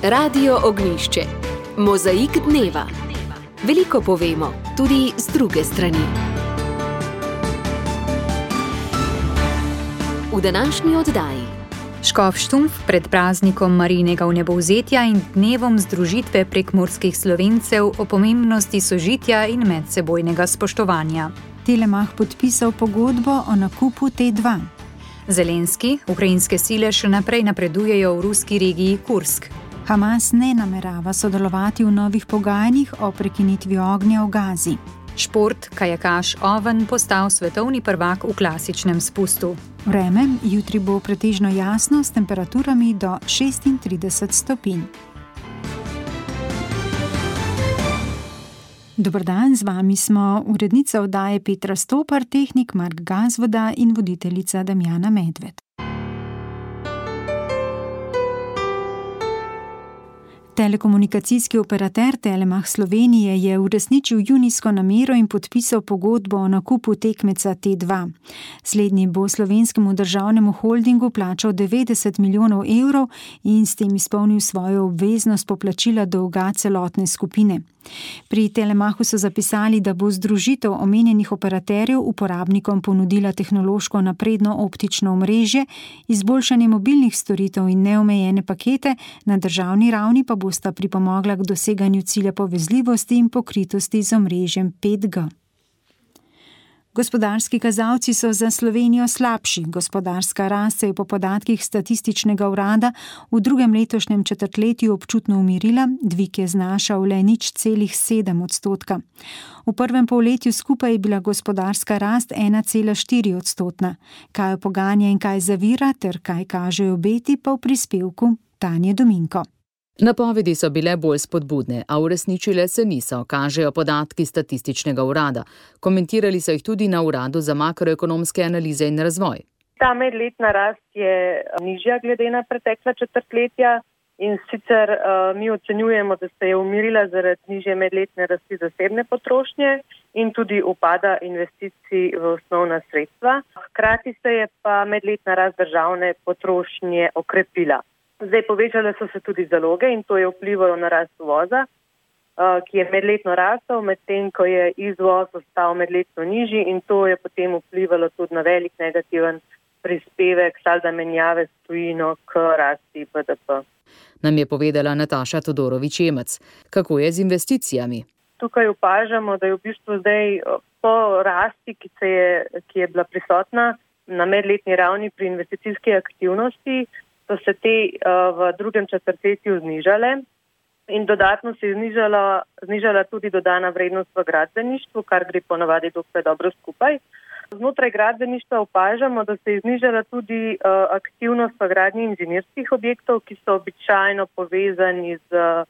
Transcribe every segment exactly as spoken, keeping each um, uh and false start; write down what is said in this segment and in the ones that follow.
Radio Ognjišče. Mozaik dneva. Veliko povemo, tudi z druge strani. V današnji oddaji. Škof Štumpf pred praznikom Marijinega vnebovzetja in dnevom združitve prekmurskih Slovencev o pomembnosti sožitja in medsebojnega spoštovanja. Telemach podpisal pogodbo o nakupu T dva. Zelenski, ukrajinske sile še naprej napredujejo v ruski regiji Kursk. Hamas ne namerava sodelovati v novih pogajanjih o prekinitvi ognja v Gazi. Šport, kajakaš Oven postal svetovni prvak v klasičnem spustu. Vreme, jutri bo pretežno jasno s temperaturami do šestintrideset stopinj. Dober dan, z vami smo urednica oddaje Petra Stopar, tehnik Mark Gazvoda in voditeljica Damjana Medved. Telekomunikacijski operater Telemach Slovenije je uresničil junijsko namero in podpisal pogodbo o nakupu tekmeca T dva. Slednji bo slovenskemu državnemu holdingu plačal devetdeset milijonov evrov in s tem izpolnil svojo obveznost poplačila dolga celotne skupine. Pri Telemachu so zapisali, da bo združitev omenjenih operaterjev uporabnikom ponudila tehnološko napredno optično omrežje, izboljšanje mobilnih storitev in neomejene pakete, na državni ravni pa bosta pripomogla k doseganju cilja povezljivosti in pokritosti z omrežjem pet G. Gospodarski kazalci so za Slovenijo slabši. Gospodarska rast se je po podatkih statističnega urada v drugem letošnjem četrtletju občutno umirila, dvig je znašal le nič celih sedem odstotka. V prvem polletju skupaj je bila gospodarska rast ena cela štiri odstotna. Kaj poganja in kaj zavira ter kaj kažejo obeti, pa v prispevku Tanje Dominko. Napovedi so bile bolj spodbudne, a uresničile se niso, kažejo podatki statističnega urada. Komentirali so jih tudi na Uradu za makroekonomske analize in razvoj. Ta medletna rast je nižja glede na pretekla četrtletja in sicer uh, mi ocenjujemo, da se je umirila zaradi nižje medletne rasti zasebne potrošnje in tudi upada investicij v osnovna sredstva. Hkrati se je pa medletna rast državne potrošnje okrepila. Zdaj povečale so se tudi zaloge in to je vplivalo na rast uvoza, ki je medletno rastel, medtem ko je izvoz ostal medletno nižji in to je potem vplivalo tudi na velik negativen prispevek salda menjave s tujino k rasti B D P. Nam je povedala Nataša Todorović-Jemec. Kako je z investicijami? Tukaj opažamo, da je v bistvu zdaj po rasti, ki, se je, ki je bila prisotna na medletni ravni pri investicijski aktivnosti, so se te uh, v drugem četrtletju znižale in dodatno se je znižala, znižala tudi dodana vrednost v gradbeništvu, kar gre ponavadi dokaj dobro skupaj. Znotraj gradbeništva opažamo, da se je znižala tudi uh, aktivnost v gradnji inženirskih objektov, ki so običajno povezani z uh,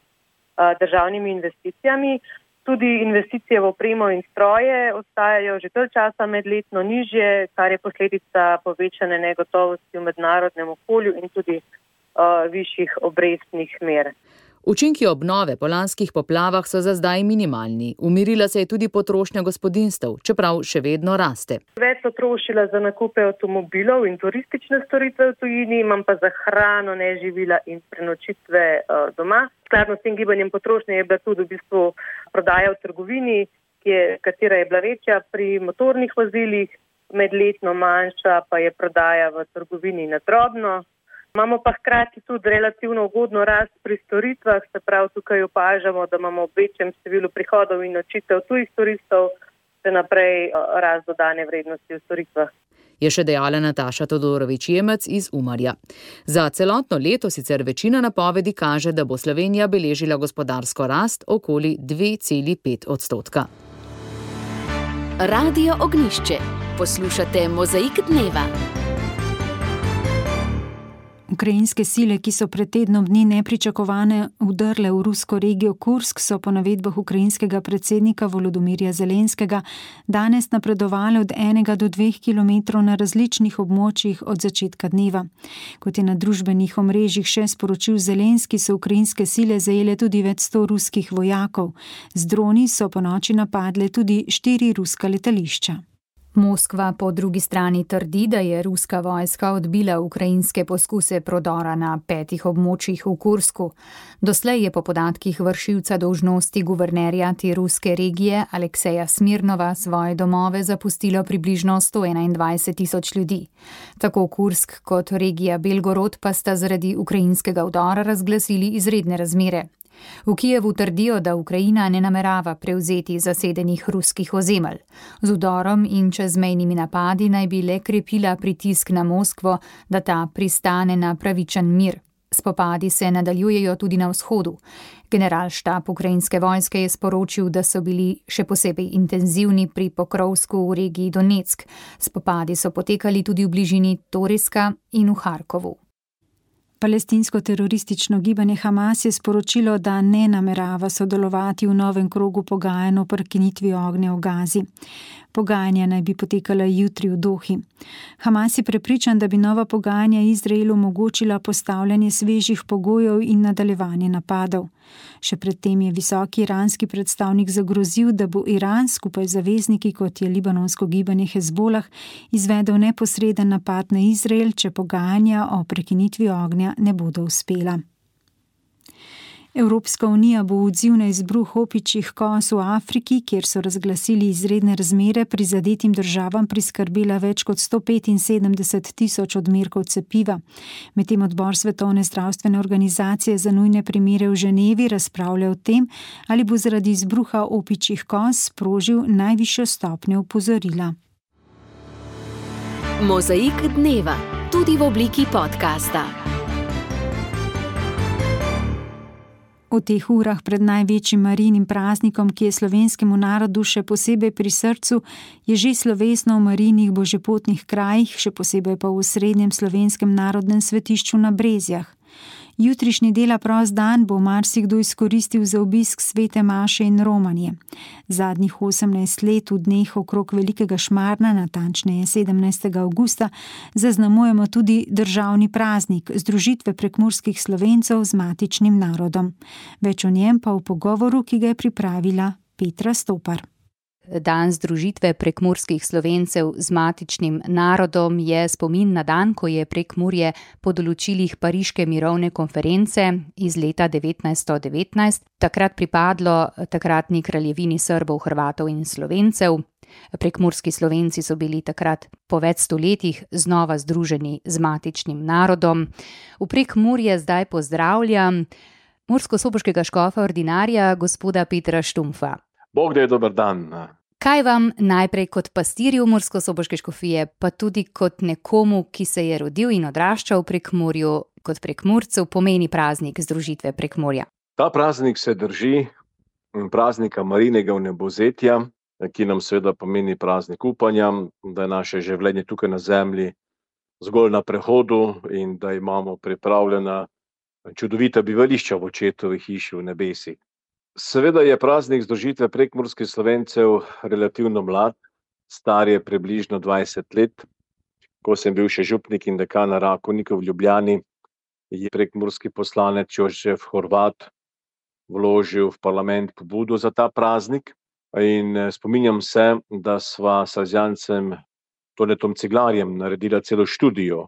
državnimi investicijami. Tudi investicije v opremo in stroje ostajajo že dalj časa medletno nižje, kar je posledica povečane negotovosti v mednarodnem okolju in tudi uh, višjih obrestnih mer. Učinki obnove po lanskih poplavah so za zdaj minimalni. Umirila se je tudi potrošnja gospodinjstev, čeprav še vedno raste. Več so trošila za nakupe avtomobilov in turistične storitve v tujini, imam pa za hrano, neživila in prenočitve uh, doma. Skladno s tem gibanjem potrošnje je bila tudi v bistvu prodaja v trgovini, ki je, katera je bila večja pri motornih vozilih, medletno manjša pa je prodaja v trgovini na drobno. Imamo pa hkrati tudi relativno ugodno rast pri storitvah, se pravi tukaj opažamo, da imamo v večjem številu prihodov in nočitev tujih turistov, še naprej rast dodane vrednosti v storitvah. Je še dejala Nataša Todorović-Jemec iz Umarja. Za celotno leto sicer večina napovedi kaže, da bo Slovenija beležila gospodarsko rast okoli dve celi pet odstotka. Radio Ognjišče. Poslušate Mozaik dneva. Ukrajinske sile, ki so pred tednom dni nepričakovane vdrle v rusko regijo Kursk, so po navedbah ukrajinskega predsednika Volodomirja Zelenskega danes napredovale od enega do dveh kilometrov na različnih območjih od začetka dneva. Kot je na družbenih omrežjih še sporočil Zelenski, so ukrajinske sile zajele tudi več sto ruskih vojakov. Z droni so ponoči napadle tudi štiri ruska letališča. Moskva po drugi strani trdi, da je ruska vojska odbila ukrajinske poskuse prodora na petih območjih v Kursku. Doslej je po podatkih vršilca dolžnosti guvernerja te ruske regije Alekseja Smirnova svoje domove zapustilo približno sto enaindvajset tisoč ljudi. Tako Kursk kot regija Belgorod pa sta zaradi ukrajinskega vdora razglasili izredne razmere. V Kijevu trdijo, da Ukrajina ne namerava prevzeti zasedenih ruskih ozemelj. Z vdorom in čezmejnimi napadi naj bi le krepila pritisk na Moskvo, da ta pristane na pravičen mir. Spopadi se nadaljujejo tudi na vzhodu. Generalštab ukrajinske vojske je sporočil, da so bili še posebej intenzivni pri Pokrovsku v regiji Donetsk. Spopadi so potekali tudi v bližini Toriska in v Harkovu. Palestinsko teroristično gibanje Hamas je sporočilo, da ne namerava sodelovati v novem krogu pogajanj o prekinitvi ognja v Gazi. Pogajanja naj bi potekala jutri v Dohi. Hamas je prepričan, da bi nova pogajanja Izraelu omogočila postavljanje svežih pogojev in nadaljevanje napadov. Še predtem je visoki iranski predstavnik zagrozil, da bo Iran skupaj z zavezniki, kot je libanonsko gibanje Hezbolah, izvedel neposreden napad na Izrael, če pogajanja o prekinitvi ognja ne bodo uspela. Evropska unija bo v odziv na izbruh opičjih kos v Afriki, kjer so razglasili izredne razmere, prizadetim državam priskrbela več kot sto petinsedemdeset tisoč odmerkov cepiva. Medtem odbor Svetovne zdravstvene organizacije za nujne primere v Ženevi razpravlja o tem, ali bo zaradi izbruha opičjih kos sprožil najvišjo stopnjo opozorila. Mozaik dneva, tudi v obliki podcasta. V teh urah pred največjim Marijinim praznikom, ki je slovenskemu narodu še posebej pri srcu, je že slovesno v Marijinih božjepotnih krajih, še posebej pa v osrednjem slovenskem narodnem svetišču na Brezjah. Jutrišnji dela prost dan bo marsikdo izkoristil za obisk svete maše in romanje. Zadnjih osemnajst let v dneh okrog Velikega Šmarna, natančneje sedemnajstega avgusta, zaznamujemo tudi državni praznik združitve prekmurskih Slovencev z matičnim narodom. Več o njem pa v pogovoru, ki ga je pripravila Petra Stopar. Dan združitve prekmurskih Slovencev z matičnim narodom je spomin na dan, ko je Prekmurje po določilih Pariške mirovne konference iz leta devetnajststo devetnajst takrat pripadlo takratni kraljevini Srbov, Hrvatov in Slovencev. Prekmurski Slovenci so bili takrat po več stoletjih znova združeni z matičnim narodom. V Prekmurje zdaj pozdravljam murskosoboškega škofa ordinarja gospoda Petra Štumpfa. Bog da je dober dan. Kaj vam najprej kot pastirju murskosoboške škofije, pa tudi kot nekomu, ki se je rodil in odraščal v Prekmurju, kot Prekmurcev, pomeni praznik združitve Prekmurja? Ta praznik se drži praznika Marijinega vnebovzetja, ki nam seveda pomeni praznik upanja, da je naše življenje tukaj na zemlji zgolj na prehodu in da imamo pripravljena čudovita bivališča v očetovi hiši v nebesih. Seveda je praznik združitve prekmurskih Slovencev relativno mlad, star je približno dvajset let. Ko sem bil še župnik in dekan na Rakovniku v Ljubljani, je prekmurski poslanec Jožef Horvat vložil v parlament pobudo za ta praznik in spominjam se, da sva s Salezjancem Tonetom Ciglarjem naredila celo študijo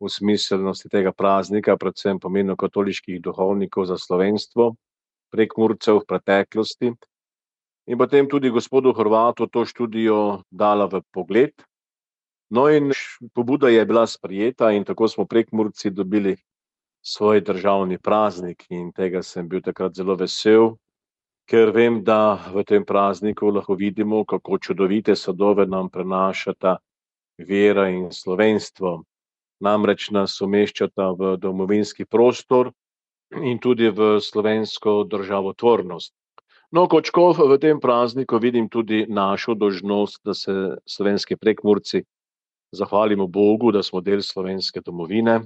v smiselnosti tega praznika, predvsem pomenu katoliških duhovnikov za slovenstvo, Prekmurcev v preteklosti, in potem tudi gospodu Horvatu to študijo dala v pogled. No in pobuda je bila sprejeta in tako smo Prekmurci dobili svoj državni praznik in tega sem bil takrat zelo vesel, ker vem, da v tem prazniku lahko vidimo, kako čudovite sadove nam prenašata vera in slovenstvo. Namreč nas umeščata v domovinski prostor in tudi v slovensko državotvornost. No, kot škof v tem prazniku vidim tudi našo dolžnost, da se slovenski Prekmurci zahvalimo Bogu, da smo del slovenske domovine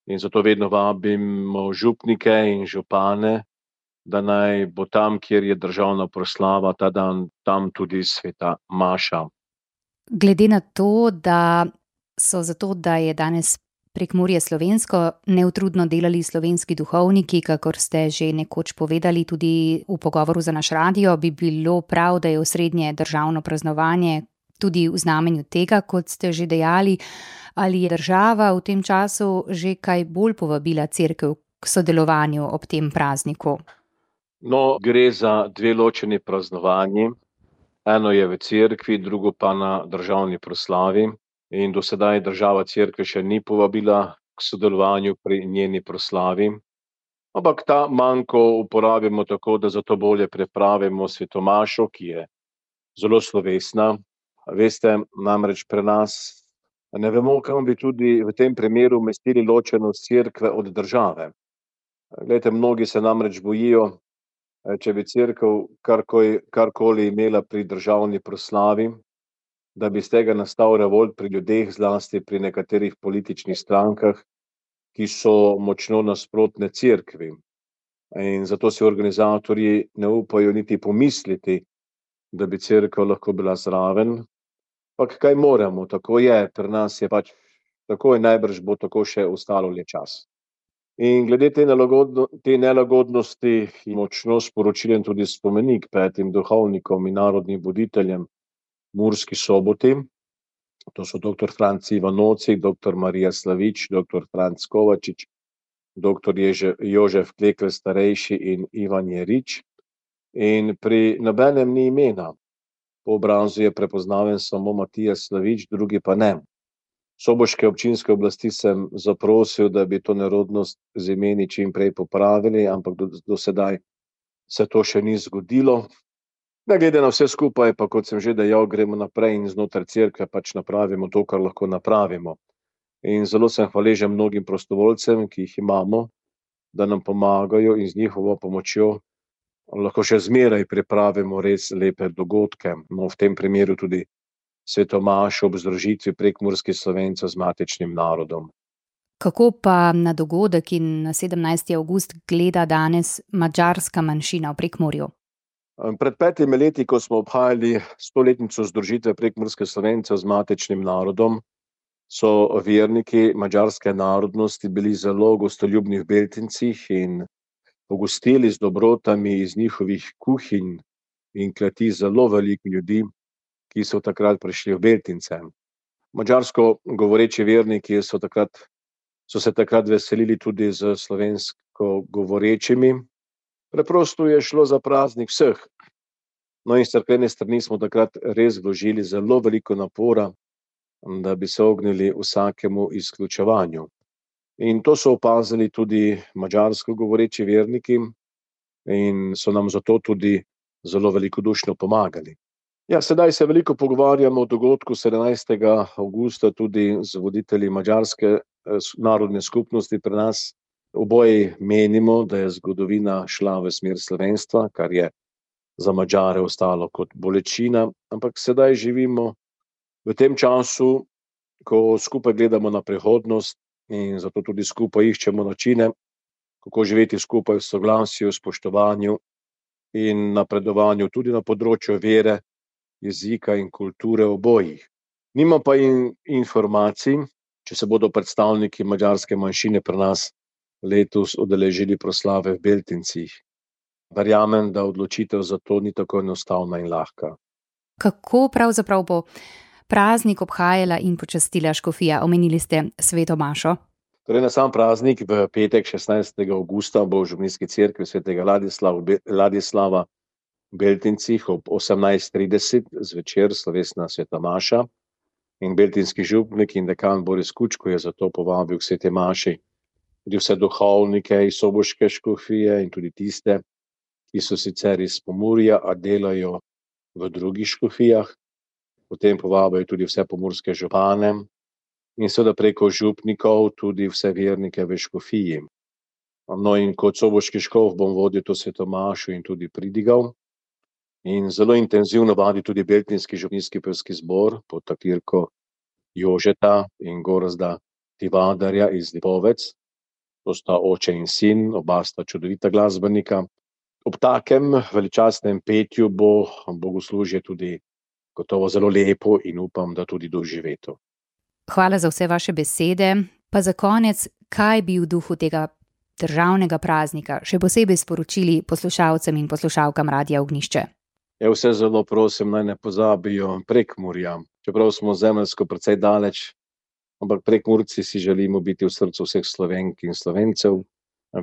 in zato vedno vabimo župnike in župane, da naj bo tam, kjer je državna proslava, ta dan tam tudi sveta maša. Glede na to, da so zato, da je danes Prekmurje slovensko, neutrudno delali slovenski duhovniki, kakor ste že nekoč povedali tudi v pogovoru za naš radio, bi bilo prav, da je osrednje državno praznovanje tudi v znamenju tega, kot ste že dejali, ali je država v tem času že kaj bolj povabila cerkev k sodelovanju ob tem prazniku? No, gre za dve ločeni praznovanji. Eno je v cerkvi, drugo pa na državni proslavi. In do sedaj država cerkve še ni povabila k sodelovanju pri njeni proslavi. Ampak ta manko uporabimo tako, da zato bolje pripravimo svetomašo, ki je zelo slovesna. Veste, namreč pri nas ne vemo, kam bi tudi v tem primeru umestili ločenost cerkve od države. Glejte, mnogi se namreč bojijo, če bi cerkev karkoli, karkoli imela pri državni proslavi, da bi z tega nastal revolt pri ljudeh, zlasti pri nekaterih političnih strankah, ki so močno nasprotne cerkvi. In zato si organizatorji ne upajo niti pomisliti, da bi cerkev lahko bila zraven. Pak kaj moramo, tako je, pri nas je pač tako in najbrž bo tako še ostalo le čas. In glede te, nelagodno, te nelagodnosti je močno sporočilen tudi spomenik petim duhovnikom in narodnim voditeljem Murski Soboti. To so doktor Franc Ivanoci, doktor Marija Slavič, doktor Franc Kovačič, doktor Ježe, Jožef Klekl starejši in Ivan Jerič. In pri nobenem ni imena. Po obrazu je prepoznaven samo Matija Slavič, drugi pa ne. Soboške občinske oblasti sem zaprosil, da bi to nerodnost z imeni čim prej popravili, ampak do, do sedaj se to še ni zgodilo. Ne glede na vse skupaj, pa kot sem že dejal, gremo naprej in znotraj cerkve pač napravimo to, kar lahko napravimo. In zelo sem hvaležen mnogim prostovoljcem, ki jih imamo, da nam pomagajo in z njihovo pomočjo lahko še zmeraj pripravimo res lepe dogodke. No, v tem primeru tudi svetomašo ob združitvi prekmurskih Slovencev z matičnim narodom. Kako pa na dogodek in na sedemnajsti avgust gleda danes madžarska manjšina v Prekmurju? Pred petimi leti, ko smo obhajali stoletnico združitve prekmurskih Slovencev z matičnim narodom, so verniki madžarske narodnosti bili zelo gostoljubni v Beltincih in pogostili z dobrotami iz njihovih kuhinj in kleti zelo veliko ljudi, ki so takrat prišli v Beltince. Madžarsko govoreči verniki so, takrat, so se takrat veselili tudi z slovensko govorečimi. Preprosto je šlo za praznik vseh. No in s cerkvene strani smo takrat res vložili zelo veliko napora, da bi se ognili vsakemu izključevanju. In to so opazili tudi madžarsko govoreči verniki in so nam zato tudi zelo velikodušno pomagali. Ja, sedaj se veliko pogovarjamo o dogodku sedemnajstega avgusta tudi z voditelji madžarske narodne skupnosti pri nas. Oboji menimo, da je zgodovina šla v smer slovenstva, kar je za Madžare ostalo kot bolečina, ampak sedaj živimo v tem času, ko skupaj gledamo na prihodnost in zato tudi skupaj iščemo načine, kako živeti skupaj v soglasju, spoštovanju in napredovanju tudi na področju vere, jezika in kulture obojih. Nima pa in informacij, če se bodo predstavniki madžarske manjšine pri nas letos udeležili proslave v Beltincih. Verjamem, da odločitev za to ni tako enostavna in lahka. Kako pravzaprav bo praznik obhajala in počastila škofija? Omenili ste sveto mašo. Torej na sam praznik v petek šestnajstega avgusta bo v župnijski cerkvi svetega Ladislava, Ladislava v Beltincih ob osemnajst trideset zvečer slovesna sveta maša in beltinski župnik in dekan Boris Kučko je zato povabil k sveti maši tudi vse duhovnike iz soboške škofije in tudi tiste, ki so sicer iz Pomurja, a delajo v drugih škofijah. Potem povabijo tudi vse pomurske župane in seveda preko župnikov tudi vse vernike v škofiji. No in kot soboški škof bom vodil to sveto mašo in tudi pridigal. In zelo intenzivno vadi tudi beltinski župnijski pevski zbor pod taktirko Jožeta in Gorazda Tivadarja iz Lipovec. To sta oče in sin, oba sta čudovita glasbenika. Ob takem veličastnem petju bo bogoslužje tudi gotovo zelo lepo in upam, da tudi doživeto. Hvala za vse vaše besede. Pa za konec, kaj bi v duhu tega državnega praznika še posebej sporočili poslušalcem in poslušalkam Radia Ognjišče? Ja, vse zelo prosim, naj ne pozabijo Prekmurja. Čeprav smo zemeljsko precej daleč, ampak Prekmurci si želimo biti v srcu vseh Slovenk in Slovencev.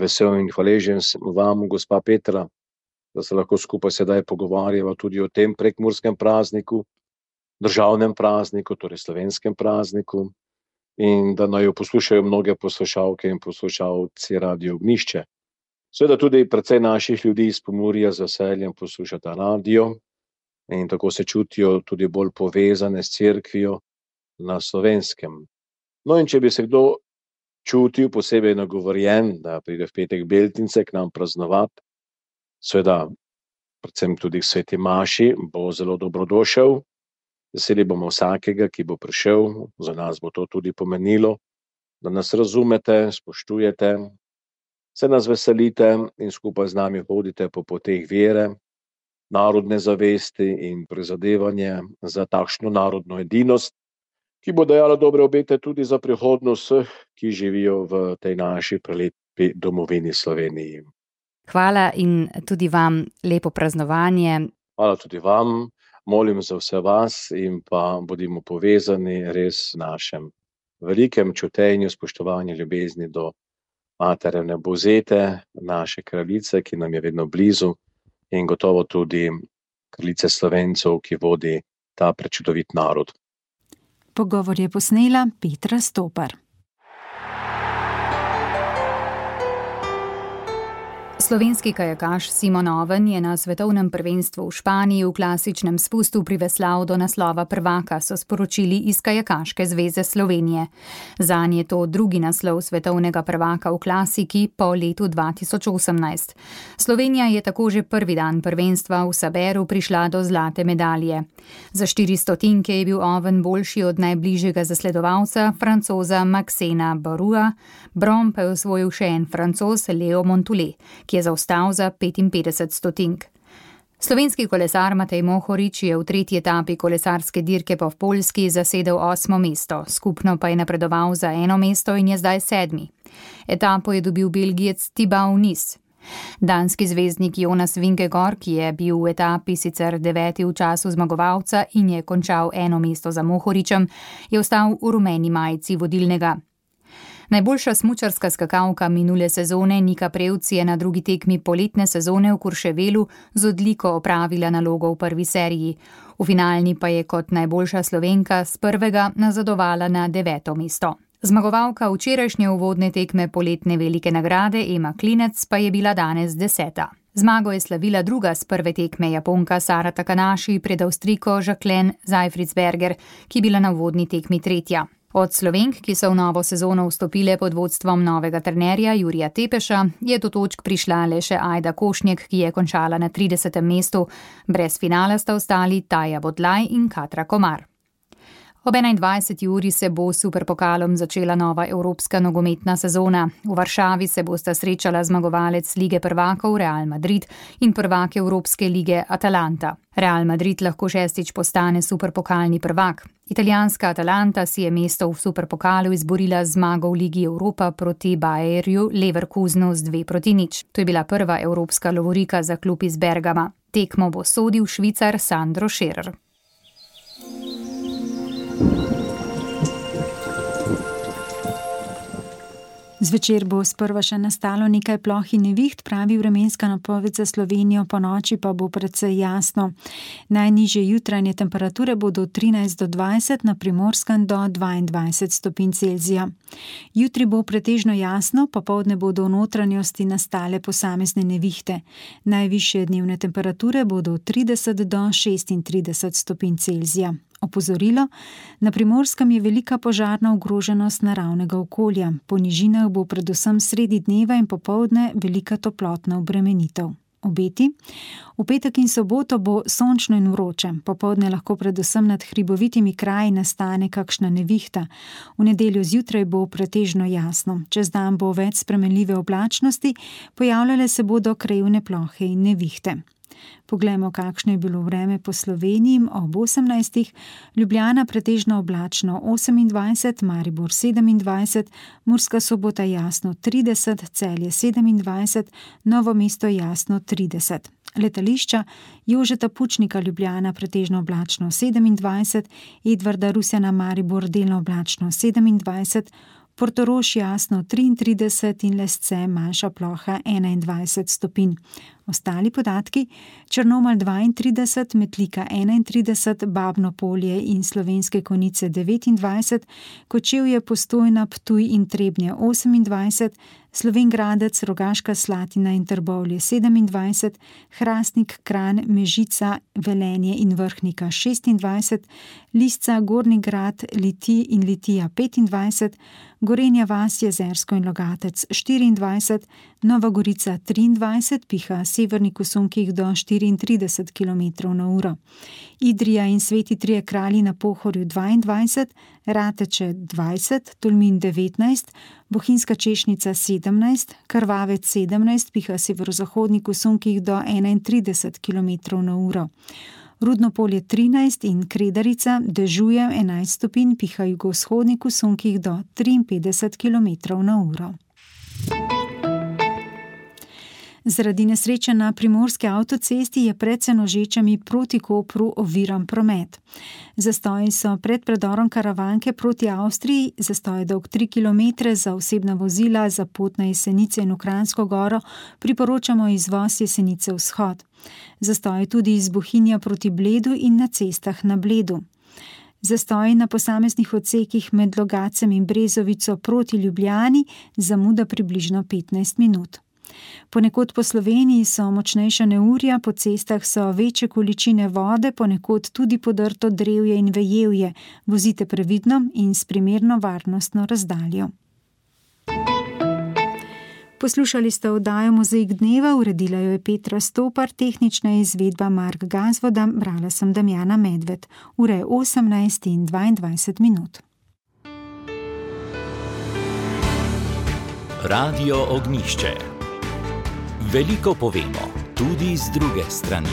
Vesel in hvaležen sem vam, gospa Petra, da se lahko skupaj sedaj pogovarjava tudi o tem prekmurskem prazniku, državnem prazniku, torej slovenskem prazniku, in da naj jo poslušajo mnoge poslušalke in poslušalci Radio Ognjišče. Seveda tudi precej naših ljudi iz Pomurja z veseljem poslušata radio in tako se čutijo tudi bolj povezane s cerkvijo na Slovenskem. No, in če bi se kdo čutil posebej nagovorjen, da pride v petek Beltince k nam praznovati, seveda predvsem tudi k sveti maši, bo zelo dobrodošel. Veseli bomo vsakega, ki bo prišel, za nas bo to tudi pomenilo, da nas razumete, spoštujete, se nas veselite in skupaj z nami hodite po poteh vere, narodne zavesti in prizadevanje za takšno narodno edinost, ki bo dajala dobre obete tudi za prihodnost vseh, ki živijo v tej naši prelepi domovini Sloveniji. Hvala in tudi vam lepo praznovanje. Hvala tudi vam, molim za vse vas in pa bodimo povezani res v našem velikem čutenju, spoštovanju, ljubezni do Matere Nebozete, naše kraljice, ki nam je vedno blizu, in gotovo tudi kraljice Slovencev, ki vodi ta prečudovit narod. Pogovor je posnela Petra Stopar. Slovenski kajakaš Simon Oven je na svetovnem prvenstvu v Španiji v klasičnem spustu priveslal do naslova prvaka, so sporočili iz Kajakaške zveze Slovenije. Zanj je to drugi naslov svetovnega prvaka v klasiki po letu dva tisoč osemnajst. Slovenija je tako že prvi dan prvenstva v Saberu prišla do zlate medalje. Za štiri stotinke je bil Oven boljši od najbližjega zasledovalca, Francoza Maxena Barua, bron pa je osvojil še en Francoz Leo Montoulet, ki je zaostal za petinpetdeset stotink. Slovenski kolesar Matej Mohorič je v tretji etapi kolesarske dirke po Poljski zasedel osmo mesto, skupno pa je napredoval za eno mesto in je zdaj sedmi. Etapo je dobil Belgijec Thibaut Nis. Danski zvezdnik Jonas Vingegaard, ki je bil v etapi sicer deveti v času zmagovalca in je končal eno mesto za Mohoričem, je ostal v rumeni majici vodilnega. Najboljša smučarska skakalka minule sezone Nika Prevc je na drugi tekmi poletne sezone v Kurševelu z odliko opravila nalogo v prvi seriji. V finalni pa je kot najboljša Slovenka s prvega nazadovala na deveto mesto. Zmagovalka včerajšnje uvodne tekme poletne velike nagrade Ema Klinec pa je bila danes deseta. Zmago je slavila druga s prve tekme Japonka Sara Takanashi pred Avstrijko Jacqueline Zeifritzberger, ki je bila na uvodni tekmi tretja. Od Slovenk, ki so v novo sezono vstopile pod vodstvom novega trenerja Jurija Tepeša, je do točk prišla le še Ajda Košnjek, ki je končala na tridesetem mestu. Brez finala sta ostali Taja Bodlaj in Katra Komar. Ob enaindvajseti uri se bo s superpokalom začela nova evropska nogometna sezona. V Varšavi se bosta srečala zmagovalec Lige prvakov Real Madrid in prvak Evropske lige Atalanta. Real Madrid lahko šestič postane superpokalni prvak. Italijanska Atalanta si je mesto v superpokalu izborila z zmago v Ligi Evropa proti Bayerju Leverkusenu z dve proti nič. To je bila prva evropska lovorika za klub iz Bergama. Tekmo bo sodil Švicar Sandro Scherer. Zvečer bo sprva še nastalo nekaj ploh in neviht, pravi vremenska napoved za Slovenijo, po noči pa bo precej jasno. Najnižje jutranje temperature bodo od trinajst do dvajset, na Primorskem do dvaindvajset stopinj Celzija. Jutri bo pretežno jasno, popoldne bodo v notranjosti nastale posamezne nevihte. Najvišje dnevne temperature bodo od trideset do šestintrideset stopinj Celzija. Opozorilo, na Primorskem je velika požarna ogroženost naravnega okolja. Po nižinah bo predvsem sredi dneva in popoldne velika toplotna obremenitev. Obeti. V petek in soboto bo sončno in vroče, popoldne lahko predvsem nad hribovitimi kraji nastane kakšna nevihta. V nedeljo zjutraj bo pretežno jasno, čez dan bo več spremenljive oblačnosti, pojavljale se bodo krajevne plohe in nevihte. Poglejmo, kakšno je bilo vreme po Sloveniji ob osemnajstih. Ljubljana pretežno oblačno osemindvajset, Maribor sedemindvajset, Murska Sobota jasno trideset, Celje sedemindvajset, Novo mesto jasno trideset. Letališča: Jožeta Pučnika Ljubljana pretežno oblačno sedemindvajset, Edvarda Rusjana Maribor delno oblačno sedemindvajset, Portorož jasno triintrideset in Lesce manjša ploha enaindvajset stopinj. Ostali podatki: Črnomelj dvaintrideset, Metlika enaintrideset, Babno Polje in Slovenske Konjice devetindvajset, Kočevje, Postojna, Ptuj in Trebnje osemindvajset, Slovenj Gradec, Rogaška Slatina in Trbovlje sedemindvajset, Hrastnik, Kranj, Mežica, Velenje in Vrhnika šestindvajset, Lisca, Gornji Grad, Litij in Litija petindvajset, Gorenja vas, Jezersko in Logatec štiriindvajset, Nova Gorica triindvajset, piha severnik v sunkih do štiriintrideset kilometrov na uro. Idrija in Sveti Trije Kralji na Pohorju dvaindvajset, Rateče dvajset, Tolmin devetnajst, Bohinjska Češnica sedemnajst, Krvavec sedemnajst, piha severozahodnik v sunkih do enaintrideset kilometrov na uro. Rudno Polje trinajst in Kredarica dežuje enajst stopinj, piha jugovzhodnik v sunkih do triinpetdeset kilometrov na uro. Zaradi nesreče na primorski avtocesti je pred Senožečami proti Kopru oviran promet. Zastoji so pred predorom Karavanke proti Avstriji, zastoj dolg tri kilometre za osebna vozila, za pot na Jesenice in v Kranjsko Goro priporočamo izvoz Jesenice vzhod. Zastoj tudi iz Bohinja proti Bledu in na cestah na Bledu. Zastoji na posameznih odsekih med Logacem in Brezovico proti Ljubljani, zamuda približno petnajst minut. Ponekod po Sloveniji so močnejša neurja, po cestah so večje količine vode, ponekod tudi podrto drevje in vejevje. Vozite previdno in s primerno varnostno razdaljo. Poslušali ste oddajo Mozaik dneva, uredila jo je Petra Stopar, tehnična izvedba Mark Gazvoda, brala sem Damjana Medved. Ura je osemnajst in dvaindvajset minut. Radio Ognjišče. Veliko povemo, tudi z druge strani.